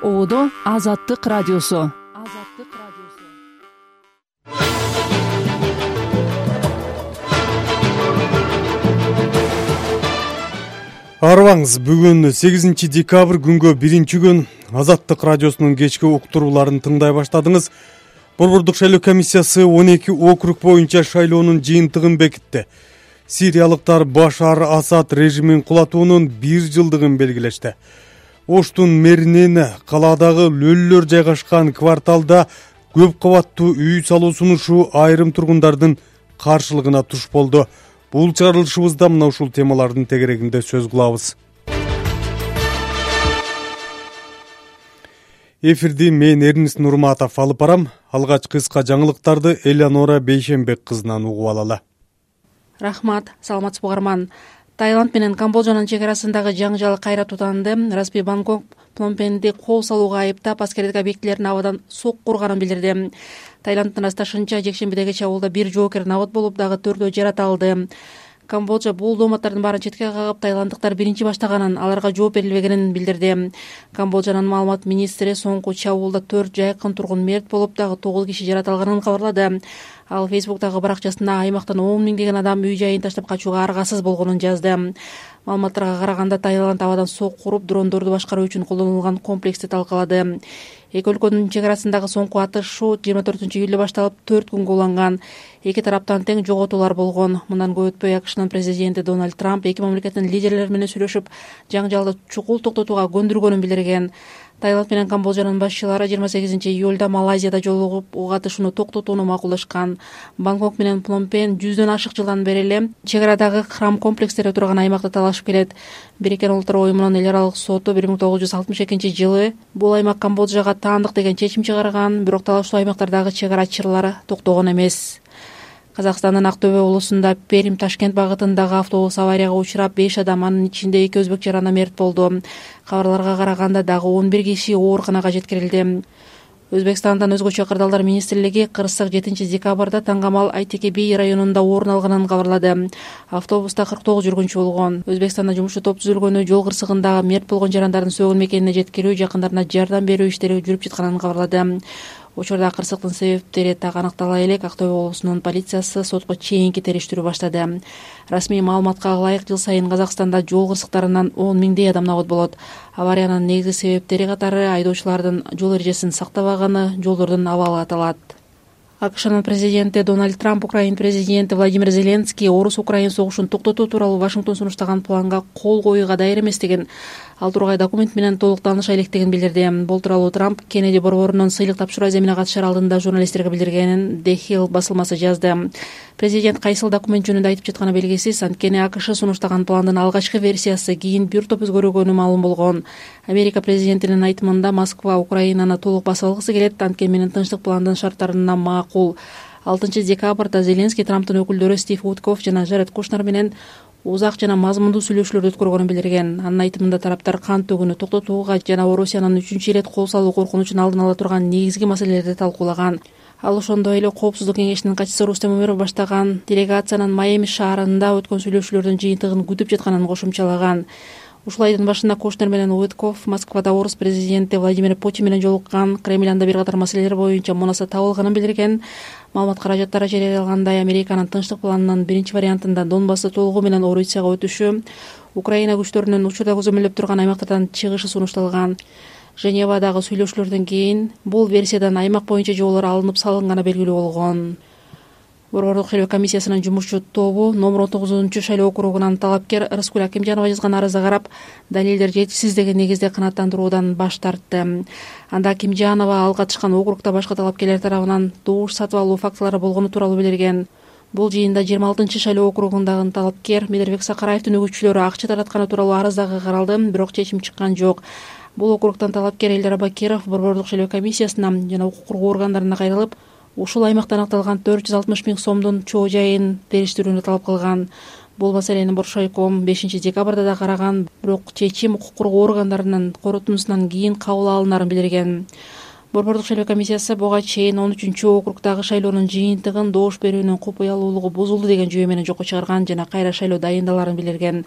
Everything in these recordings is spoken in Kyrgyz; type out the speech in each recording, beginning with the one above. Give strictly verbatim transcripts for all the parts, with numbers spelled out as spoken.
Оодо Азаттык радиосу. Арыбаңыз, бүгүн сегизинчи декабрь күнгө биринчи күн. Азаттык радиосунун кечки уктурууларын тыңдай баштадыңыз. Борбордук шайлоо комиссиясы он эки округ боюнча шайлоонун жыйынтыгын бекитти. Сириялыктар Башар Асад режимин кулатуунун бир жылдыгын белгилешти. Оштун мэринин калаадагы лөллөр жайгашкан кварталда көп кабаттуу үй салуу сунушу айрым тургундардын каршылыгына туш болду. Бул чыгарылышыбызда мына ушул темалардын тегерегинде сөз кылабыз. Эфирди мен Эрнис Нурматов алып барам. Алгач кыска жаңылыктарды Элеонора Бейшенбек кызынан угуп алалы. Рахмат, саламатсызбы угарман. Таиланд менен Камбоджанын чек арасындагы жаңжал кайра тутанды. Расмий Бангкок Пномпенди кол салууга айыптап аскердик объектилерин абадан сокку урганын билдирди. Таиланддын асташынча жекшембидеги чабуулда бир жоокер набыт болуп, дагы төртөө жаратылды. Камбоджа бул дооматтардын баарын четке кагып, таиланддыктар биринчи баштаганын, аларга жооп берилбегенин билдирди. Камбоджанын маалымат министри соңку чабуулда төрт жайкын тургун мерт болуп, дагы тогуз киши жаратылганын кабарлады. Ал Фейсбуктагы баракчасында аймактан он миңдеген адам үй жайын таштап качууга аргасыз болгонун жазды. Маалыматтарга караганда, Таиланд абадан сокку уруп, дрондорду башкаруу үчүн колдонулган комплексти талкалады. Эки өлкөнүн чек арасындагы соңку атышуу жыйырма төртүнчү июлда башталып, төрт күнгө уланган. Эки тараптан тең жоготуулар болгон. Мындан көп өтпөй АКШнын президенти Дональд Трамп эки мамлекеттин лидерлери менен сүйлөшүп, жаңжалды чукул токтотууга көндүргөнүн билдирген. Таиланд менен Камбоджанын башчылары жыйырма сегизинчи июлда Малайзияда жолугуп, ок атышууну токтотууну макулдашкан. Бангкок менен Пномпен жүздөн ашык жылдан бери эле чек арадагы храм комплекстери турган аймакта талашып келет. Бириккен Улуттар уюмунун эл аралык соту бир миң тогуз жүз алтымыш экинчи жылы бул аймак Камбоджага таандык деген чечим чыгарган, бирок талаштуу аймактардагы чек ара чырлары токтогон эмес. Казакстандын Актөбө облусунда Перим Ташкент багытындагы автобус аварияга учурап, беш адам, анын ичинде эки өзбек жарана мерт болду. Кабарларга караганда, дагы он бир киши ооруканага жеткирилди. Өзбекстандан өзгөчө кырдаалдар министрлиги кырсык жетинчи декабрда Таңгамал Айтеке би районунда орун алганын кабарлады. Автобуста кырк тогуз жүргүнчү болгон. Өзбекстанда жумушчу топ түзүлгөнү, жол кырсыгындагы мерт болгон жарандардын сөгүн мекенине жеткирүү, жакындарына жардам берүү иштери жүрүп жатканын кабарлады. Учурда кырсыктын себептери так аныктала элек. Актөбө облусунун полициясы сотко чейинки териштирүү баштады. Расмий маалыматка ылайык, жыл сайын Казакстанда жол кырсыктарынан он миңдей адам набыт болот. Авариянын негизги себептери катары айдоочулардын жол эрежесин сактабаганы, жолдордун абалы аталат. АКШнын президенти Дональд Трамп Украин президенти Владимир Зеленский орус-украин согушун токтотуу тууралуу Вашингтон сунуштаган планга кол коюуга даяр эместигин, ал тургай документ менен толук тааныша электигин билдирди. Бул тууралуу Трамп Кеннеди борборунун сыйлык тапшыруу аземине катышар алдында журналисттерге билдиргенин The Hill басылмасы жазды. Президент кайсыл документ жөнүндө айтып жатканы белгисиз, анткени АКШ сунуштаган пландын алгачкы версиясы кийин бир топ өзгөргөнү маалым болгон. Америка президентинин айтымында, Москва Украинаны толук басып алгысы келет, анткени менен тынчтык пландын шарттарына макул. алтынчы декабрда Зеленский Трамптын өкүлдөрү Стив Уиткофф жана Жаред Кушнер менен узак жана мазмундуу сүйлөшүүлөрдү өткөргөнүн билдирген. Анын айтымында, тараптар кан төгүүнү токтотууга жана Орусиянын үчүнчү ирет кол салуу коркунучун алдын ала турган негизги маселелерди талкуулаган. Ал ошондой эле Коопсуздук кеңешинин катчысы Рустем Умеров баштаган делегациянын Майами шаарында өткөн сүйлөшүүлөрдүн жыйынтыгын күтүп жатканын кошумчалаган. Ушул айдын башында Кушнер менен Уиткофф Москвада орус президенти Владимир Путин менен жолуккан, Кремльда бир катар маселелер боюнча мунаса табылганын билдирген. Маалымат каражаттары жарыялангандай, Американын тынчтык планынын биринчи вариантында Донбассты толугу менен Орусияга өтүшү, Украина күчтөрүнүн учурда көзөмөлдөп турган аймактардан чыгышы сунушталган. Женевадагы сүйлөшүүлөрдөн кийин бул версиядан аймак боюнча жолдор алынып салынганы белгилүү болгон. Борбордук шайлоо комиссиясынын жумушчу тобу номер он тогузунчу шайлоо округунан талапкер Рыскүл Акимжанова жазган арызды карап, далилдер жетишсиз деген негизде канааттандыруудан баш тартты. Анда Акимжанова ал катышкан округда башка талапкерлер тарабынан добуш сатып алуу фактылары болгону тууралуу билдирген. Бул жыйында жыйырма алтынчы шайлоо округундагы талапкер Медербек Сакараевдин өгүтчүлөрү акча таратканы тууралуу арыз дагы каралды, бирок чечим чыккан жок. Бул округтан талапкер Элдер Абакиров борбордук шайлоо комиссиясына жана укук коргоо органдарына кайрылып, ушул аймакта аныкталган төрт жүз алтымыш миң сомдун чоо жайын териштирүүнү талап кылган. Бул маселени Боршайком бешинчи декабрда да караган, бирок чечим укук коргоо органдарынын корутундусунан кийин кабыл алынарын билдирген. Борбордук шайлоо комиссиясы буга чейин он үчүнчү округдагы шайлоонун жыйынтыгын добуш берүүнүн купуялуулугу бузулду деген жүйө менен жокко чыгарган жана кайра шайлоо дайындаларын билдирген.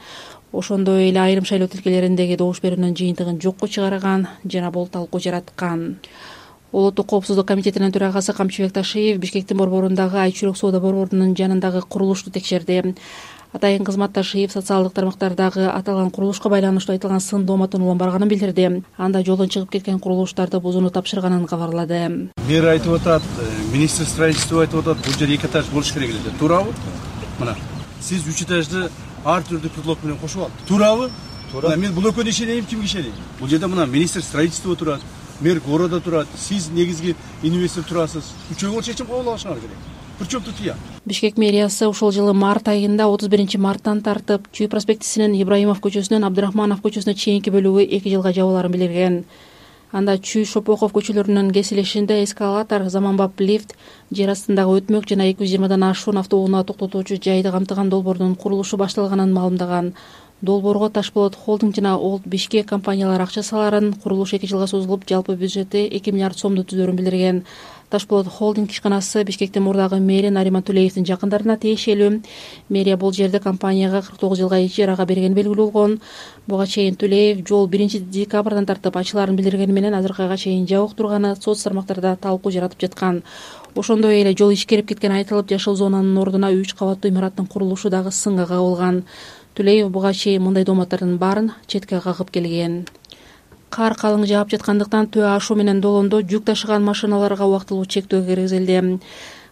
ошондой эле айрым шайлоо тилкелериндеги добуш берүүнүн жыйынтыгын жокко чыгарган жана бул талкуу жараткан. Улуттук коопсуздук комитетинин төрагасы Камчыбек Ташиев Бишкектин борборундагы Айчүрөк соода борборунун жанындагы курулушту текшерди. Атайын кызмат Ташиев социалдык тармактардагы аталган курулушка байланыштуу айтылган сын дооматтын улам барганын билдирди. Анда жолдон чыгып кеткен курулуштарды бузууну тапшырганын кабарлады. Мэр айтып атат, министр строительства айтып атат, бул жер эки этаж болуш керек эле. Туурабы? Мына, сиз үч этажды ар түрдүү предлог менен кошуп алдыңыз. Туурабы? Туура. Мен бул экөөнү ишенейм, кимге ишенейм? Бул жерде мына министр строительства турат, мэр города турат, сиз негизги инвестор турасыз. Үчөө чечим кабыл алышыңар керек. Причем тут я? Бишкек мэриясы ушул жылы март айында отуз биринчи марттан тартып Чүй проспектисинин Ибраимов көчөсүнөн Абдрахманов көчөсүнө чейинки бөлүгү эки жылга жабыларын билдирген. Анда Чүй Шопоков көчөлөрүнүн кесилишинде эскалатор, заманбап лифт, жер астындагы өтмөк жана эки жүз жыйырмадан ашуун автоунаа токтотуучу жайды камтыган долбоордун курулушу башталганын маалымдаган. Долбоорго Ташболот Холдинг жана Олд Бишкек компаниялары акча саларын, курулуш эки жылга созулуп, жалпы бюджети эки миллиард сомду түзөрүн билдирген. Ташболот Холдинг ишканасы Бишкектин мурдагы мэри Нариман Төлеевдин жакындарына тиешелүү. Мэрия бул жерди компанияга кырк тогуз жылга ижарага бергени белгилүү болгон. Буга чейин Төлеев жол биринчи декабрдан тартып ачыларын билдиргени менен азыркы айга чейин жабык турганы соц тармактарда талкуу жаратып жаткан. Ошондой эле жол ишкерип кеткени айтылып, жашыл зонанын ордуна үч кабаттуу имараттын курулушу дагы сынга кабылган. Төлеев буга чейин мындай дооматтардын баарын четке кагып келген. Кар калың жаап жаткандыктан Төө ашуу менен Долондо жүк ташыган машиналарга убактылуу чектөө киргизилди.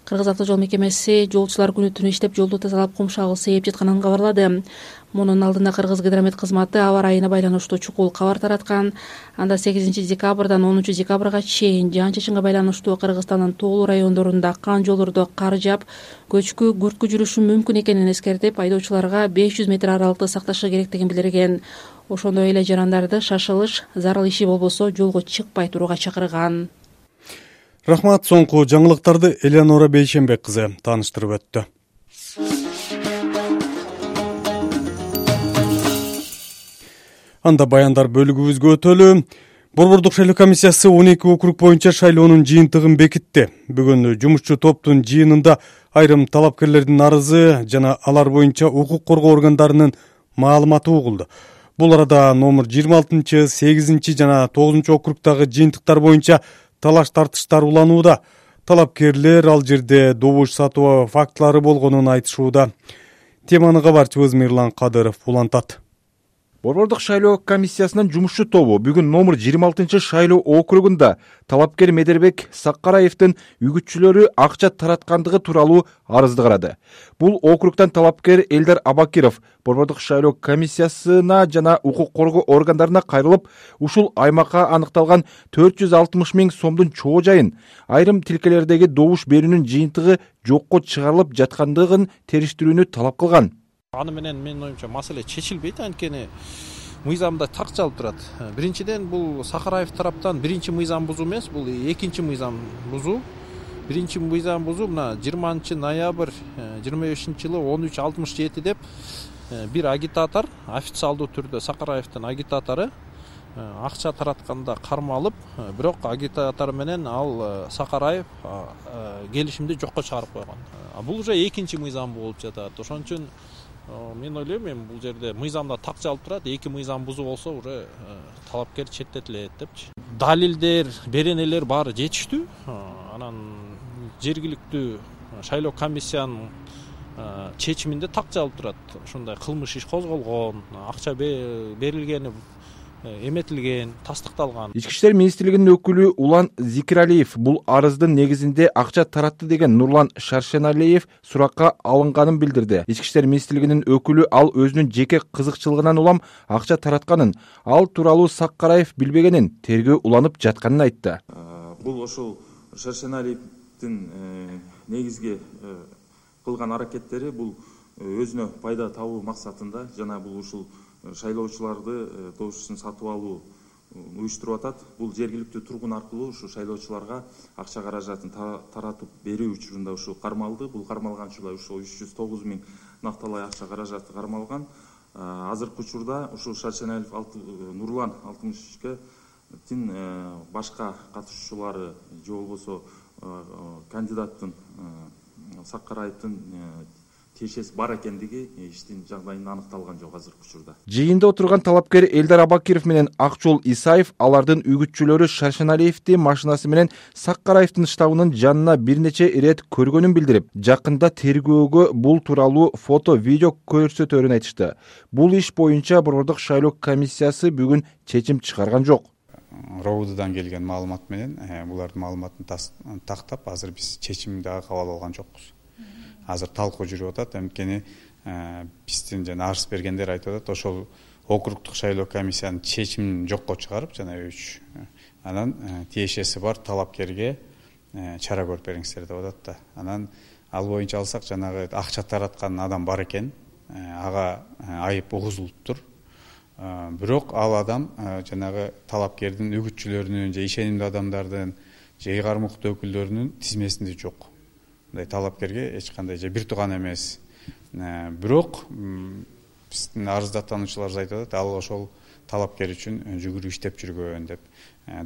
Кыргыз автожол мекемеси жолчулар күнү түнү иштеп жолду тазалап кум шагыл сээп жатканын кабарлады. Мунун алдында Кыргыз гидромет кызматы аба ырайына байланыштуу чукул кабар тараткан. Анда сегизинчи декабрдан онунчу декабрга чейин жаан-чачынга байланыштуу Кыргызстандын тоолуу райондорунда аккан жолдордо кар жаап, көчкү, күрткү жүрүшү мүмкүн экенин эскертип, айдоочуларга беш жүз метр аралыкты сакташы керектигин билдирген. Ошондой эле жарандарды шашылыш, зарыл иши болбосо жолго чыкпай турууга чакырган. Рахмат, соңку жаңылыктарды Элеонора Бейшенбек кызы тааныштырып өттү. Анда баяндар бөлүгүбүзгө өтөлү. Борбордук шайлоо комиссиясы он эки округ боюнча шайлоонун жыйынтыгын бекитти. Бүгүн жумушчу топтун жыйынында айрым талапкерлердин арызы жана алар боюнча укук коргоо органдарынын маалыматы угулду. Бул арада номер жыйырма алтынчы, сегизинчи жана тогузунчу округдагы жыйынтыктар боюнча талаш тартыштар уланууда. Талапкерлер ал жерде добуш сатуу фактылары болгонун айтышууда. Теманы кабарчыбыз Мирлан Кадыров улантат. Борбордук шайлоо комиссиясынын жумушчу тобу бүгүн номер жыйырма алтынчы шайлоо округунда талапкер Медербек Саккараевдин үгүтчүлөрү акча тараткандыгы тууралуу арызды карады. Бул округтан талапкер Элдар Абакиров борбордук шайлоо комиссиясына жана укук коргоо органдарына кайрылып, ушул аймакка аныкталган төрт жүз алтымыш миң сомдун чоо жайын айрым тилкелердеги добуш берүүнүн жыйынтыгы жокко чыгарылып жаткандыгын териштирүүнү талап кылган. Аны менен менин оюмча маселе чечилбейт, анткени мыйзамда так жазылып турат. Биринчиден бул Сакараев тараптан биринчи мыйзам бузуу эмес, бул экинчи мыйзам бузуу. Биринчи мыйзам бузуу мына жыйырманчы ноябрь жыйырма бешинчи жылы он үч алтымыш жети деп бир агитатор официалдуу түрдө Сакараевдин агитатору акча таратканда кармалып, бирок агитатор менен ал Сакараев келишимди жокко чыгарып койгон. Бул уже экинчи мыйзам болуп жатат. Ошон үчүн мен ойлойм, эми бул жерде мыйзамда так жазылып турат, эки мыйзам бузуу болсо уже талапкер четтетилет депчи. Далилдер, беренелер баары жетиштүү. Анан жергиликтүү шайлоо комиссиянын чечиминде так жазылып турат. Ушундай кылмыш иш козголгон, акча берилгени эметилген, тастыкталган. Ички иштер министрлигинин өкүлү Улан Зикиралиев бул арыздын негизинде акча таратты деген Нурлан Шаршеналиев суракка алынганын билдирди. Ички иштер министрлигинин өкүлү ал өзүнүн жеке кызыкчылыгынан улам акча таратканын, ал тууралуу Саккараев билбегенин, тергөө уланып жатканын айтты. Бул ошол Шаршеналиевдин негизги кылган аракеттери бул өзүнө пайда табуу максатында жана бул ушул шайлоочуларды добушун сатып алуу уюштуруп атат. Бул жергиликтүү тургун аркылуу ушу шайлоочуларга акча каражатын таратып берүү учурунда ушу кармалды. Бул кармалган учурда ушу үч жүз тогуз миң накталай акча каражаты кармалган. Азыркы учурда ушу Шаршеналиев Нурлан алтымышкетин башка катышуучулары же болбосо кандидаттын Саккараевдин тиешеси бар экендиги иштин жагдайында аныкталган жок азыркы учурда. Жыйында отурган талапкер Элдар Абакиров менен Акчол Исаев алардын үгүтчүлөрү Шаршеналиевди машинасы менен Саккараевдин штабынын жанына бир нече ирет көргөнүн билдирип, жакында тергөөгө бул тууралуу фото, видео көрсөтөөрүн айтышты. Бул иш боюнча Борбордук шайлоо комиссиясы бүгүн чечим чыгарган жок. РОУДдан келген маалымат менен булардын маалыматын тактап азыр биз чечим дагы кабыл алган жокпуз. Азыр талкуу жүрүп атат. Анткени биздин жана арыз бергендер айтып атат, ошол округдук шайлоо комиссиянын чечимин жокко чыгарып, жана үч анан тиешеси бар талапкерге чара көрүп бериңиздер деп атат да. Анан ал боюнча алсак, жанагы акча тараткан адам бар экен, ага айып угузулуптур. Бирок ал адам жанагы талапкердин үгүтчүлөрүнүн же ишенимдүү адамдардын же үй кармыктуу өкүлдөрүнүн тизмесинде жок. Мындай талапкерге эч кандай же бир тууган эмес. Бирок биздин арыздатануучуларыбыз айтып атат, ал ошол талапкер үчүн жүгүрүп иштеп жүргөн деп,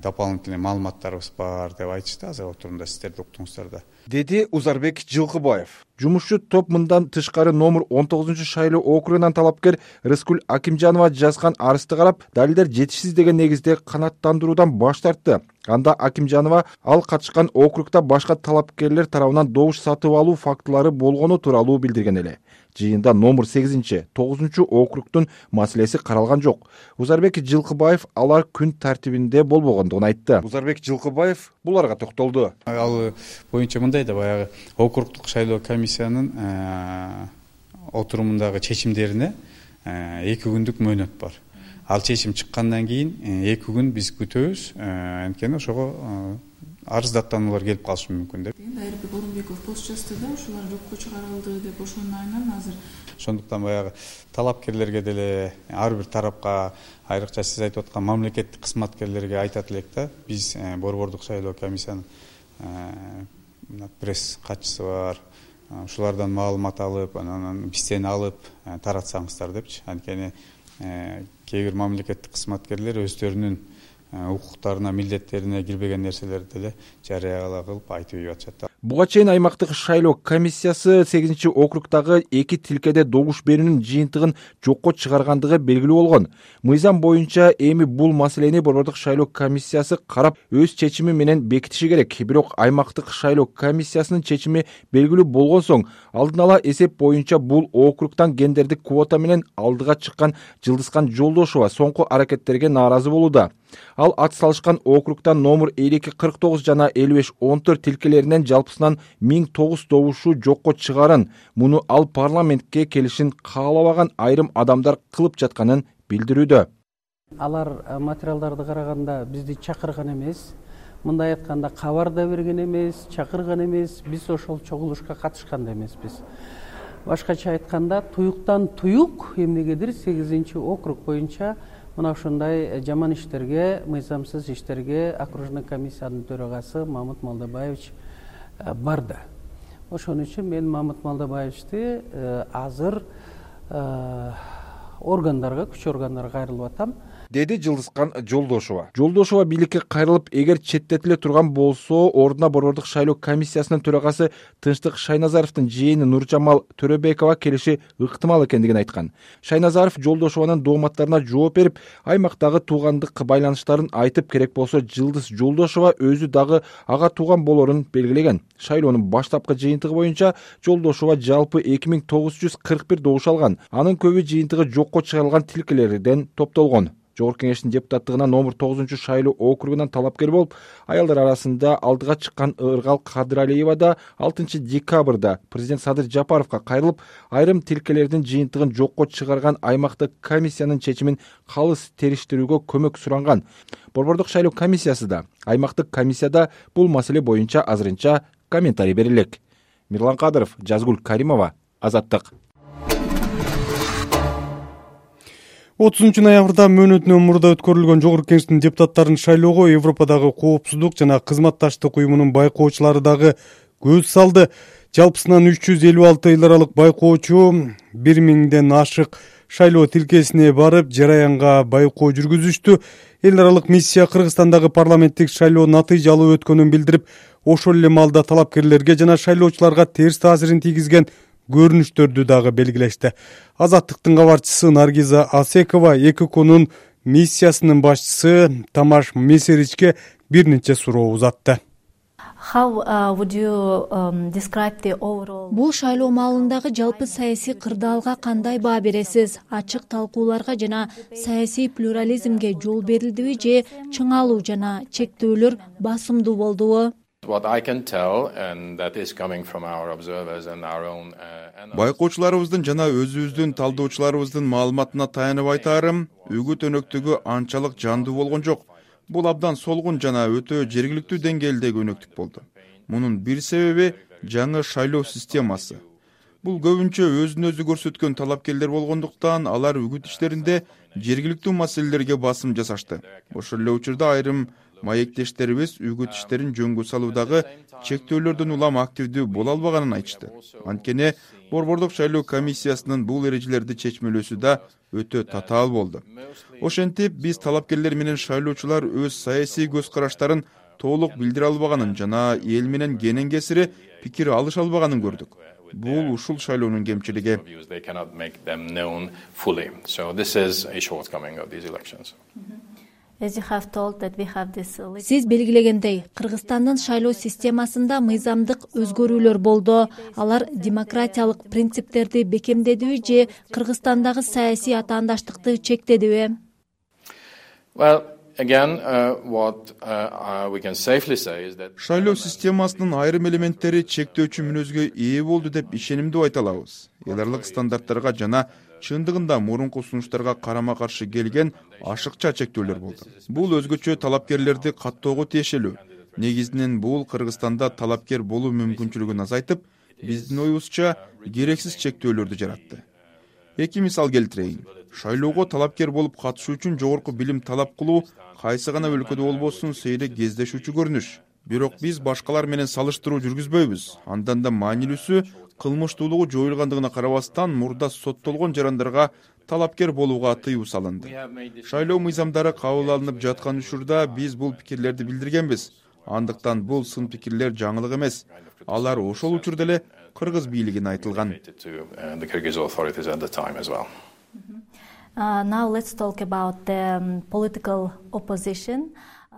дополнительный маалыматтарыбыз бар деп айтышты. Азыр отурумда сиздер да уктуңуздар да. Деди Узарбек Жылкыбаев. Жумушчу топ мындан тышкары номер он тогузунчу шайлоо округунан талапкер Рыскүл Акимжанова жазган арызды карап, далилдер жетишсиз деген негизде канааттандыруудан баш тартты. Анда Акимжанова ал катышкан округда башка талапкерлер тарабынан добуш сатып алуу фактылары болгону тууралуу билдирген эле. Жыйында номер сегизинчи, тогузунчу округдун маселеси каралган жок. Узарбек Жылкыбаев алар күн тартибинде болбогондугун айтты. Узарбек Жылкыбаев буларга токтолду. Ал боюнча мындай да, баягы округдук шайлоо комиссиянын отурумундагы чечимдерине эки күндүк мөөнөт бар. Ал чечим чыккандан кийин эки күн биз күтөбүз. Анткени ошого арыздаттануулар келип калышы мүмкүн деп. Айырбек Орунбеков пост жазды да, ошолар жокко чыгарылды деп, ошонун айынан азыр. Ошондуктан баягы талапкерлерге деле, ар бир тарапка, айрыкча сиз айтып аткан мамлекеттик кызматкерлерге айтат элек да, биз Борбордук шайлоо комиссиянын пресс катчысы бар, ушулардан маалымат алып, анан бизден алып таратсаңыздар депчи. Анткени кээ бир мамлекеттик кызматкерлер өздөрүнүн укуктарына, милдеттерине кирбеген нерселерди деле жарыя кылып айтып ийип атышат. Буга чейин аймактык шайлоо комиссиясы сегизинчи округдагы эки тилкеде добуш берүүнүн жыйынтыгын жокко чыгаргандыгы белгилүү болгон. Мыйзам боюнча эми бул маселени Борбордук шайлоо комиссиясы карап өз чечими менен бекитиши керек. Бирок аймактык шайлоо комиссиясынын чечими белгилүү болгон соң, алдын ала эсеп боюнча бул округдан гендердик квота менен алдыга чыккан Жылдызкан Жолдошова соңку аракеттерге нааразы болууда. Ал ат салышкан округдан номер элүү эки кырк тогуз жана элүү беш он төрт тилкелеринен жалпысынан миң тогуз добушу жокко чыгарын, муну ал парламентке келишин каалабаган айрым адамдар кылып жатканын билдирүүдө. Алар материалдарды караганда бизди чакырган эмес, мындай айтканда кабар да берген эмес, чакырган эмес, биз ошол чогулушка катышкан да эмеспиз. Башкача айтканда, туюктан туюк эмнегедир сегизинчи округ боюнча мына ушундай жаман иштерге, мыйзамсыз иштерге окружной комиссиянын төрагасы Мамыт Малдабаевич барды. Ошон үчүн мен Мамыт Малдабаевичти азыр органдарга, күч органдарга кайрылып атам. Деди Жылдызкан Жолдошова. Жолдошова бийликке кайрылып, эгер четтетиле турган болсо, ордуна Борбордук шайлоо комиссиясынын төрагасы Тынчтык Шайназаровдун жээни Нуржамал Төрөбекова келиши ыктымал экендигин айткан. Шайназаров Жолдошованын дооматтарына жооп берип, аймактагы туугандык байланыштарын айтып, керек болсо Жылдыз Жолдошова өзү дагы ага тууган болорун белгилеген. Шайлоонун баштапкы жыйынтыгы боюнча Жолдошова жалпы эки миң тогуз жүз кырк бир добуш алган. Анын көбү жыйынтыгы жокко чыгарылган тилкелерден топтолгон. Жогорку Кеңештин депутаттыгына номер тогузунчу шайлоо округунан талапкер болуп, аялдар арасында алдыга чыккан Ыргал Кадыралиева да алтынчы декабрда президент Садыр Жапаровго кайрылып, айрым тилкелердин жыйынтыгын жокко чыгарган аймактык комиссиянын чечимин калыс териштирүүгө көмөк суранган. Борбордук шайлоо комиссиясы да, аймактык комиссияда бул маселе боюнча азырынча комментарий берилек. Мирлан Кадыров, Жазгүл Каримова, Азаттык. отузунчу ноябрда мөөнөтүнөн мурда өткөрүлгөн Жогорку Кеңештин депутаттарын шайлоого Европадагы коопсуздук жана кызматташтык уюмунун байкоочулары дагы көз салды. Жалпысынан үч жүз элүү алты эл аралык байкоочу бир миңден ашык шайлоо тилкесине барып, жараянга байкоо жүргүзүштү. Эл аралык миссия Кыргызстандагы парламенттик шайлоо натыйжалуу өткөнүн билдирип, ошол эле маалда талапкерлерге жана шайлоочуларга терс таасирин тийгизген көрүнүштөрдү дагы белгилешти. Азаттыктын кабарчысы Наргиза Асекова Экоконун миссиясынын башчысы Тамаш Месеричке бир нече суроо узатты. Бул шайлоо маалындагы жалпы саясий кырдаалга кандай баа бересиз? Ачык талкууларга жана саясий плюрализмге жол берилдиби же чыңалуу жана чектөөлөр басымдуу болдубу? Байкоочуларыбыздын жана өзүбүздүн талдоочуларыбыздын маалыматына таянып айтаарым, үгүт өнөктүгү анчалык жандуу болгон жок. Бул абдан солгун жана өтө жергиликтүү деңгээлдеги өнөктүк болду. Мунун бир себеби жаңы шайлоо системасы. Бул көбүнчө өзүн өзү көрсөткөн талапкерлер болгондуктан алар үгүт иштеринде жергиликтүү маселелерге басым жасашты. Ошол эле учурда айрым маектештерибиз үгүт иштерин жөнгө салуудагы чектөөлөрдөн улам активдүү боло албаганын айтышты. Анткени Борбордук шайлоо комиссиясынын бул эрежелерди чечмелөөсү да өтө татаал болду. Ошентип биз талапкерлер менен шайлоочулар өз саясий көз караштарын толук билдире албаганын жана эл менен кенен кесири пикир алыша албаганын көрдүк. Бул ушул шайлоонун кемчилиги. Сиз белгилегендей, Кыргызстандын шайлоо системасында мыйзамдык өзгөрүүлөр болду. Алар демократиялык принциптерди бекемдедиби же Кыргызстандагы саясий атаандаштыкты чектедиби? Шайлоо системасынын айрым элементтери чектөөчү мүнөзгө ээ болду деп ишенимдүү айта алабыз. Эл аралык стандарттарга жана чындыгында мурунку сунуштарга карама каршы келген ашыкча чектөөлөр болду. Бул өзгөчө талапкерлерди каттоого тиешелүү. Негизинен бул Кыргызстанда талапкер болуу мүмкүнчүлүгүн азайтып, биздин оюбузча керексиз чектөөлөрдү жаратты. Эки мисал келтирейин. Шайлоого талапкер болуп катышуу үчүн жогорку билим талап кылуу кайсы гана өлкөдө болбосун сейрек кездешүүчү көрүнүш. Бирок биз башкалар менен салыштыруу жүргүзбөйбүз. Андан да маанилүүсү, кылмыштуулугу жоюлгандыгына карабастан мурда соттолгон жарандарга талапкер болууга тыюу салынды. Шайлоо мыйзамдары кабыл алынып жаткан учурда биз бул пикирлерди билдиргенбиз. Андыктан бул сын пикирлер жаңылык эмес. Алар ошол учурда эле кыргыз бийлигине айтылган.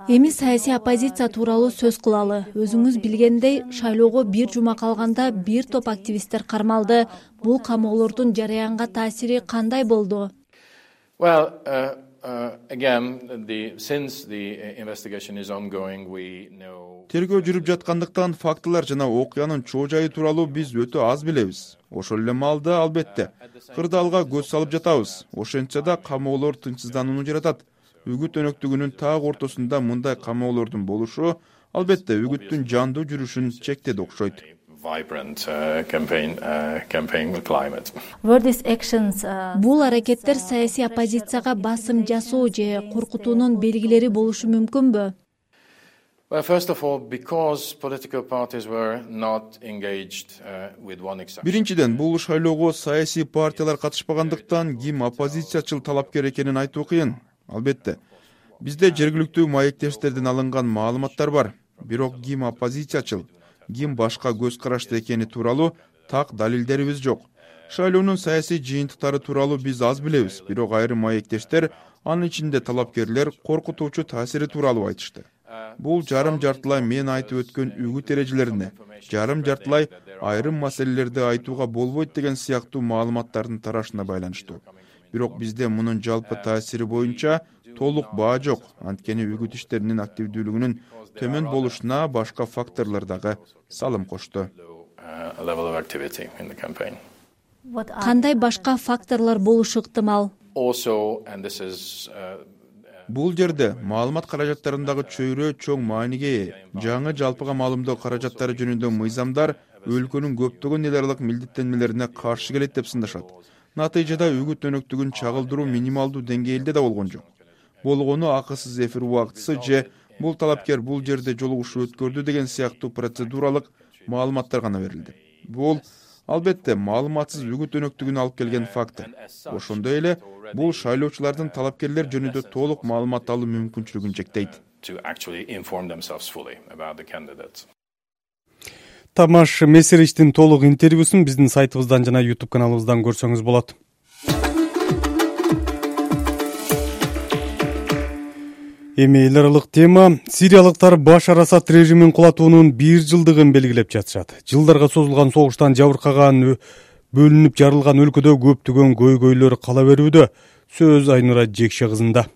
Эми саясий оппозиция тууралуу сөз кылалы. Өзүңүз билгендей, шайлоого бир жума калганда бир топ активисттер кармалды. Бул камоолордун жараянга таасири кандай болду? Тергөө жүрүп жаткандыктан фактылар жана окуянын чоо жайы тууралуу биз өтө аз билебиз. Ошол эле маалда албетте кырдаалга көз салып жатабыз. Ошентсе да камоолор тынчсызданууну жаратат. Үгүт өнөктүгүнүн так ортосунда мындай камоолордун болушу албетте үгүттүн жандуу жүрүшүн чектеди окшойт. Бул аракеттер саясий оппозицияга басым жасоо же коркутуунун белгилери болушу мүмкүнбү? Биринчиден, бул шайлоого саясий партиялар катышпагандыктан ким оппозициячыл талапкер экенин айтуу кыйын. Албетте, бизде жергиликтүү маектештерден алынган маалыматтар бар. Бирок ким оппозициячыл, ким башка көз карашты экени тууралуу так далилдерибиз жок. Шайлоонун саясий жыйынтыктары тууралуу биз аз билебиз, бирок айрым маектештер, анын ичинде талапкерлер коркутуучу таасири тууралуу айтышты. Бул жарым жартылай мен айтып өткөн үгүт эрежелерине, жарым жартылай айрым маселелерди айтууга болбойт деген сыяктуу маалыматтардын тарашына байланыштуу. Бирок бизде мунун жалпы таасири боюнча толук баа жок. Анткени үгүт иштеринин активдүүлүгүнүн төмөн болушуна башка факторлор дагы салым кошту. Кандай башка факторлор болушу ыктымал? Бул жерде маалымат каражаттарындагы чөйрө чоң мааниге ээ. Жаңы жалпыга маалымдоо каражаттары жөнүндө мыйзамдар өлкөнүн көптөгөн эл аралык милдеттенмелерине каршы келет деп сындашат. Натыйжада үгүт өнөктүгүн чагылдыруу минималдуу деңгээлде да болгон жок. Болгону акысыз эфир убактысы же бул талапкер бул жерде жолугушуу өткөрдү деген сыяктуу процедуралык маалыматтар гана берилди. Бул албетте маалыматсыз үгүт өнөктүгүнө алып келген фактор. Ошондой эле бул шайлоочулардын талапкерлер жөнүндө толук маалымат алуу мүмкүнчүлүгүн чектейт. Тамаш Месеричтин толук интервьюсун биздин сайтыбыздан жана YouTube каналыбыздан көрсөңүз болот. Эми эл аралык тема. Сириялыктар Башар Асад режимин кулатуунун бир жылдыгын белгилеп жатышат. Жылдарга созулган согуштан жабыркаган, бөлүнүп жарылган өлкөдө көптөгөн көйгөйлөр кала берүүдө. Сөз Айнура Жекше кызында.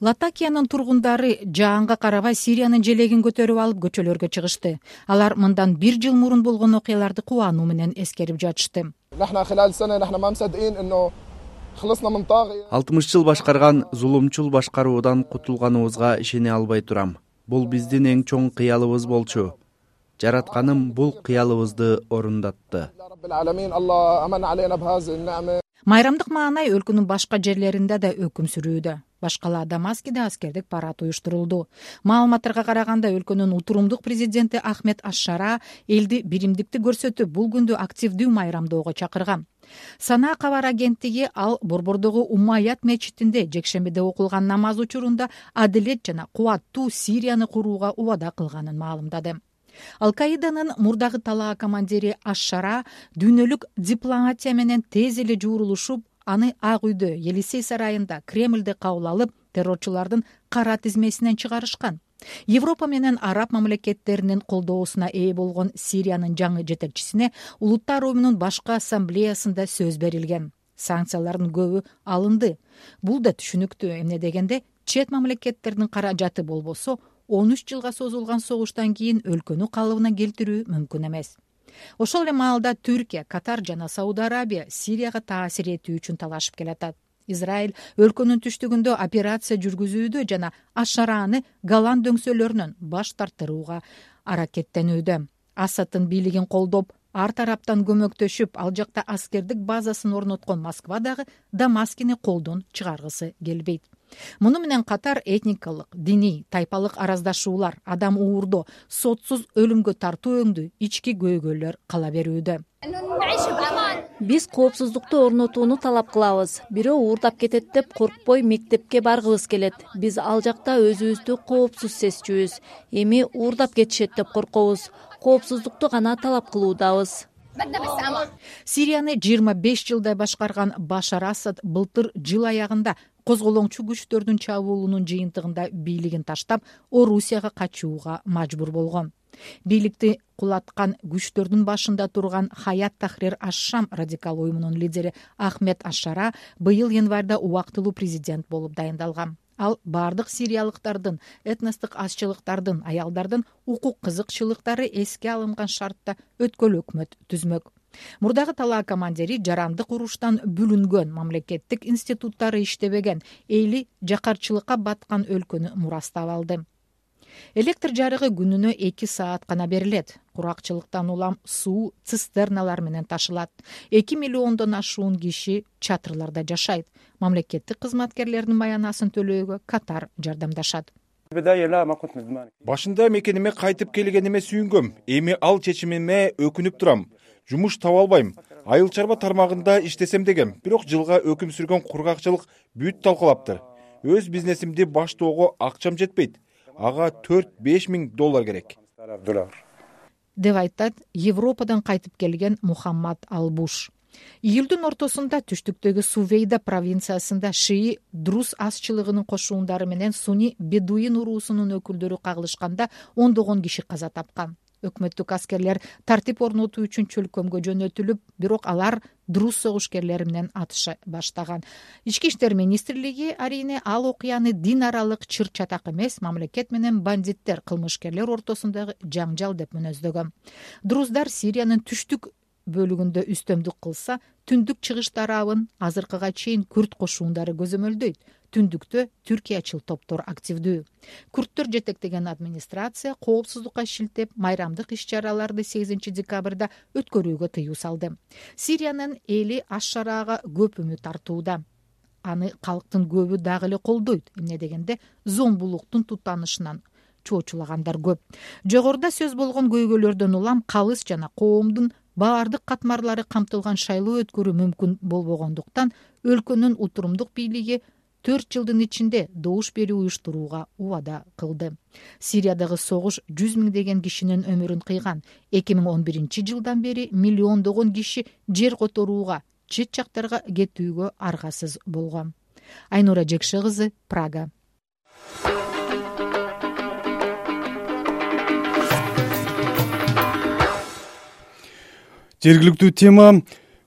Латакиянын тургундары жаанга карабай Сириянын желегин көтөрүп алып көчөлөргө чыгышты. Алар мындан бир жыл мурун болгон окуяларды кубануу менен эскерип жатышты. алтымыш жыл башкарган зулумчул башкаруудан кутулганыбызга ишене албай турам. Бул биздин эң чоң кыялыбыз болчу. Жаратканым бул кыялыбызды орундатты. Майрамдык маанай өлкөнүн башка жерлеринде да өкүм сүрүүдө. Башкала Дамаскиде аскердик парад уюштурулду. Маалыматтарга караганда өлкөнүн утурумдук президенти Ахмед Аш-Шара элди биримдикти көрсөтүп, бул күндү активдүү майрамдоого чакырган. Сана кабар агенттиги ал Борбордогу Уммаят мечитинде жекшембиде окулган намаз учурунда адилет жана кубаттуу Сирияны курууга убада кылганын маалымдады. Ал-Каиданын мурдагы талаа командири Аш-Шара дүйнөлүк дипломатия менен тез эле жуурулушуп, аны Ак үйдө Елисей сарайында Кремлде кабыл алып, террорчулардын кара тизмесинен чыгарышкан. Европа менен араб мамлекеттеринин колдоосуна ээ болгон Сириянын жаңы жетекчисине Улуттар уюмунун башкы ассамблеясында сөз берилген. Санкциялардын көбү алынды. Бул да түшүнүктүү, эмне дегенде чет мамлекеттердин каражаты болбосо, он үч жылга созулган согуштан кийин өлкөнү калыбына келтирүү мүмкүн эмес. Ошол эле маалда Түркия, Катар жана Сауд Арабия Сирияга таасир этүү үчүн талашып келатат. Израиль өлкөнүн түштүгүндө операция жүргүзүүдө жана Аш-Шараны Голланд дөңсөлөрүнөн баш тартырууга аракеттенүүдө. Асадтын бийлигин колдоп, ар тараптан көмөктөшүп, ал жакта аскердик базасын орноткон Москва дагы Дамаскини колдон чыгаргысы келбейт. Муну менен катар этникалык, диний, тайпалык араздашуулар, адам уурдоо, сотсуз өлүмгө тартуу өңдүү ички көйгөйлөр кала берүүдө. Биз коопсуздукту орнотууну талап кылабыз. Бирөө уурдап кетет деп коркпой мектепке баргыбыз келет. Биз ал жакта өзүбүздү коопсуз сезчүбүз. Эми уурдап кетишет деп коркобуз. Коопсуздукту гана талап кылуудабыз. Сирияны жыйырма беш жылдай башкарган Башар Асад былтыр жыл аягында козголоңчу күчтөрдүн чабуулунун жыйынтыгында бийлигин таштап, Орусияга качууга мажбур болгон. Бийликти кулаткан күчтөрдүн башында турган Хаят Тахрир Аш-Шам радикал уюмунун лидери Ахмед Аш-Шара быйыл январда убактылуу президент болуп дайындалган. Ал бардык сириялыктардын, этностук азчылыктардын, аялдардын укук кызыкчылыктары эске алынган шартта өткөл өкмөт түзмөк. Мурдагы талаа командири жарандык уруштан бүлүнгөн, мамлекеттик институттары иштебеген, эли жакарчылыкка баткан өлкөнү мурастап алды. Электр жарыгы күнүнө эки саат гана берилет. Куракчылыктан улам суу цистерналар менен ташылат. эки миллиондон ашуун киши чатырларда жашайт. Мамлекеттик кызматкерлердин маянасын төлөөгө Катар жардамдашат. Башында мекениме кайтып келгениме сүйүнгөм. Эми ал чечимиме өкүнүп турам. Жумуш таба албайм. Айыл чарба тармагында иштесем дегем, бирок жылга өкүм сүргөн кургакчылык бүт талкалаптыр. Өз бизнесимди баштоого акчам жетпейт. Ага төрт-беш миң доллар керек. Деп айтат Европадан кайтып келген Мухаммад Албуш. Июлдун ортосунда түштүктөгү Сувейда провинциясында шии Друз азчылыгынын кошуундары менен Суни Бедуин уруусунун өкүлдөрү кагылышканда ондогон киши каза тапкан. Өкмөттүк аскерлер тартип орнотуу үчүн чөлкөмгө жөнөтүлүп, бирок алар Друз согушкерлери менен атыша баштаган. Ички иштер министрлиги арине ал окуяны дин аралык чыр-чатак эмес, мамлекет менен бандиттер, кылмышкерлер ортосундагы жаңжал деп мүнөздөгөн. Друздар Сириянын түштүк бөлүгүндө үстөмдүк кылса, түндүк чыгыш тарабын азыркыга чейин күрд кошуундары көзөмөлдөйт. Түндүктө Түркиячыл топтор активдүү. Күрттөр жетектеген администрация коопсуздукка шилтеп, майрамдык иш-чараларды сегизинчи декабрда өткөрүүгө тыюу салды. Сириянын эли Аш-Шарага көп үмүт артууда. Аны калктын көбү дагы эле колдойт. Эмне дегенде зомбулуктун тутанышынан чоочулагандар көп. Жогоруда сөз болгон көйгөйлөрдөн улам калыс жана коомдун баардык катмарлары камтылган шайлоо өткөрүү мүмкүн болбогондуктан өлкөнүн утурумдук бийлиги төрт жылдын ичинде добуш берүү уюштурууга убада кылды. Сириядагы согуш жүз миңдеген кишинин өмүрүн кыйган. эки миң он биринчи жылдан бери миллиондогон киши жер которууга, чет жактарга кетүүгө аргасыз болгон. Айнура Жекше кызы, Прага. Жергиликтүү тема.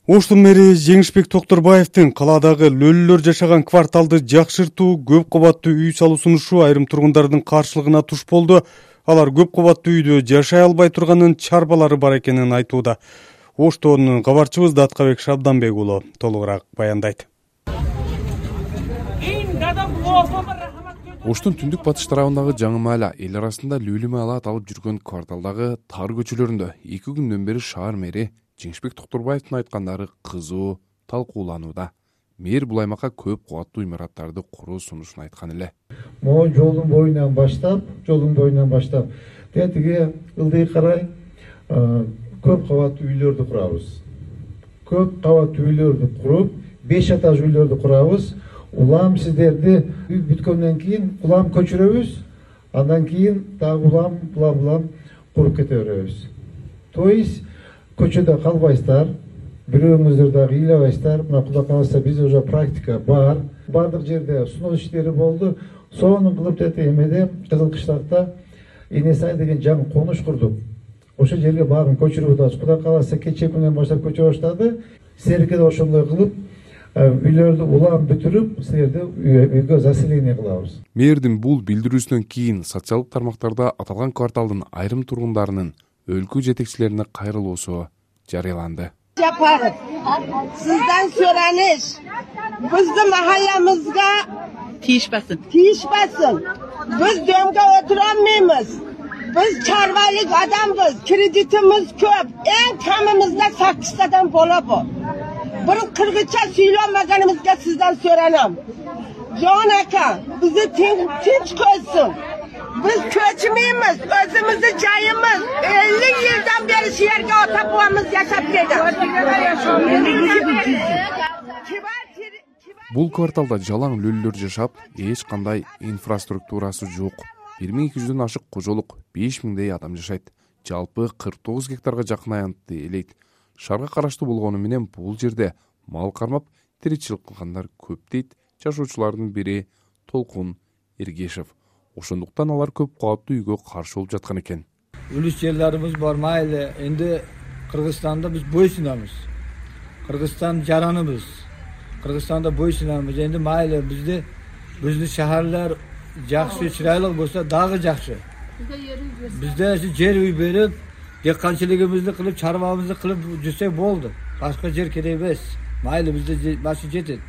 Оштун мэри Жеңишбек Токторбаевдин калаадагы лөлүлөр жашаган кварталды жакшыртуу, көп кабаттуу үй салуу сунушу айрым тургундардын каршылыгына туш болду. Алар көп кабаттуу үйдө жашай албай турганын чарбалары бар экенин айтууда. Оштон кабарчыбыз Даткабек Шабданбек уулу толугураак баяндайт. Оштун түндүк батыш тарабындагы жаңы маала эл арасында лүлү маала аталып жүргөн кварталдагы тар көчөлөрүндө эки күндөн бери шаар мэри Жеңишбек Токторбаевдин айткандары кызуу талкууланууда. Мэр бул аймакка көп кубаттуу имараттарды куруу сунушун айткан эле. Могу жолдун боюнан баштап, жолдун боюнан баштап, тетиге ылдый карай көп кабаттуу үйлөрдү курабыз. Көп кабаттуу үйлөрдү куруп, беш этаж үйлөрдү курабыз. Улам сиздерди үй бүткөндөн кийин улам көчүрөбүз. Андан кийин дагы улам, улам, улам куруп кете беребиз. То есть көчөдө калбайсыздар, бирөөңүздөр дагы ыйлабайсыздар. Мына Кудай кааласа бизде уже практика бар. Бардык жерде суноо иштери болду. Сонун кылып тете эмеде Кызыл Кыштакта Энесай деген жаңы конуш курдук. Ошол жерге баарын көчүрүп атабыз. Кудай кааласа кечээ күнүнөн баштап көчүрө баштады. Силерге да ошондой кылып үйлөрдү улам бүтүрүп, силерди үйгө заселение кылабыз. Мэрдин бул билдирүүсүнөн кийин социалдык тармактарда аталган кварталдын айрым тургундарынын өлкө жетекчилерине кайрылуусу жарыяланды. Жапаров, сиздан сурanish, bizni mahallamizga tiyishmasin. Tiyishmasin. Biz domga o'tirolmaymiz. Biz chorvalik odammiz, kreditimiz ko'p. Eng kamimizda sakkiztadan bola bor. Bir qirg'icha suylanmaganimizga sizdan so'ranam. Jon aka, bizni tinch qo'ysin. Biz ko'chmaymiz, o'zimizni joyimiz. ellik yildan beri shu yerga ota-bobamiz yashab keldi. Бул кварталда жалаң лөлүлөр жашап, эч кандай инфраструктурасы жок. бир миң эки жүздөн ашык кожолук, беш миңдей адам жашайт. Жалпы кырк тогуз гектарга жакын аянтты элейт. Шаарга караштуу болгону менен бул жерде мал кармап тиричилик кылгандар көп дейт жашоочулардын бири Толкун Эргешев. Ошондуктан алар көп кабаттуу үйгө каршы болуп жаткан экен. Үлүс жерлерибиз бар, майли. Энди Кыргызстанда биз бойсунабыз. Кыргызстан жараныбыз. Кыргызстанда бойсунабыз. Энди майли бизде биздин шаарлар жакшы, чырайлык болсо дагы жакшы. Бизде жер үй берип, деканчылыгыбызды кылып, чарбабызды кылып жүрсөк болду. Башка жер керек эмес. Майли бизде башы жетет.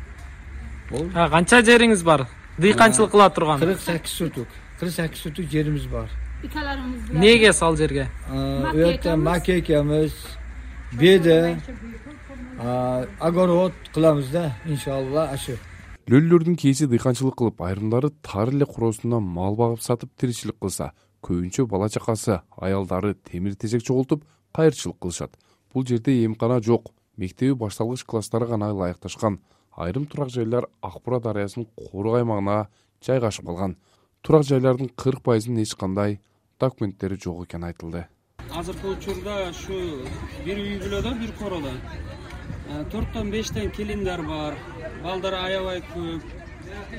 Болду. Ha, канча жериңиз бар? Дыйканчылык кыла турган. кырк сегиз сотук. кырк сегиз сотук жерибиз бар. Неге ал жерге? Өтө макекемиз, беде, огород кыламыз да, иншалла, ашы. Лөлүлөрдүн кейси дыйканчылык кылып, айрымдары тар эле куроосунда мал багып сатып тиричилик кылса, көбүнчө бала чакасы, аялдары темир тежек чогултуп кайырчылык кылышат. Бул жерде эмкана жок, мектеби башталгыч класстары гана ылайыкташкан. Айрым турак жайлар Акбура дарыясынын коорук аймагына жайгашып калган. Турак жайлардын кырк пайызынын эч кандай документтери жок экени айтылды. Азыркы учурда ушу бир үй бүлөдө, бир короодо төрттөн бештен келиндер бар. Балдар аябай көп.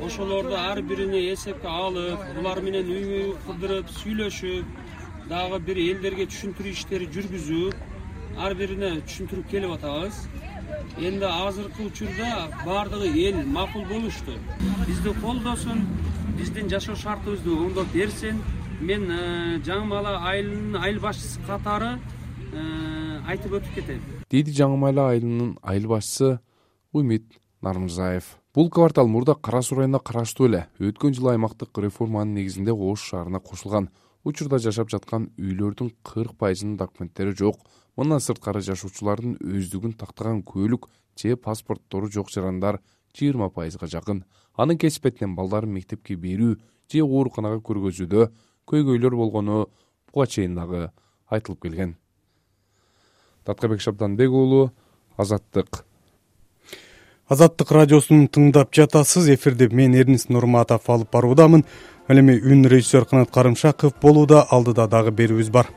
Ошолорду ар бирине эсепке алып, булар менен үй кылдырып, сүйлөшүп, дагы бир элдерге түшүндүрүү иштери жүргүзүп, ар бирине түшүндүрүп келип атабыз. Энди азыркы учурда бардыгы эл макул болушту. Бизди колдосун, биздин жашоо шартыбызды оңдоп берсин. Мен жаңы маала айылынын айыл башчысы катары айтып өтүп кетем. Дейди жаңы маала айылынын айыл башчысы Умит Нармырзаев. Бул квартал мурда Кара Суу районуна караштуу эле. Өткөн жылы аймактык реформанын негизинде Ош шаарына кошулган. Учурда жашап жаткан үйлөрдүн кырк пайызынын документтери жок. Мындан сырткары жашоочулардын өздүгүн тактаган көлүк же паспорттору жок жарандар жыйырма пайызга жакын. Анын кесипетинен балдарын мектепке берүү же ооруканага көргөзүүдө көйгөйлөр болгону буга чейин дагы айтылып келген. Таткабек Шабданбек уулу, Азаттык. Азаттык радиосун тыңдап жатасыз. Эфирде мен Эрнис Нурматов алып баруудамын. Ал эми үн режиссер Канат Карымшаков болууда. Алдыда дагы берүүбүз бар.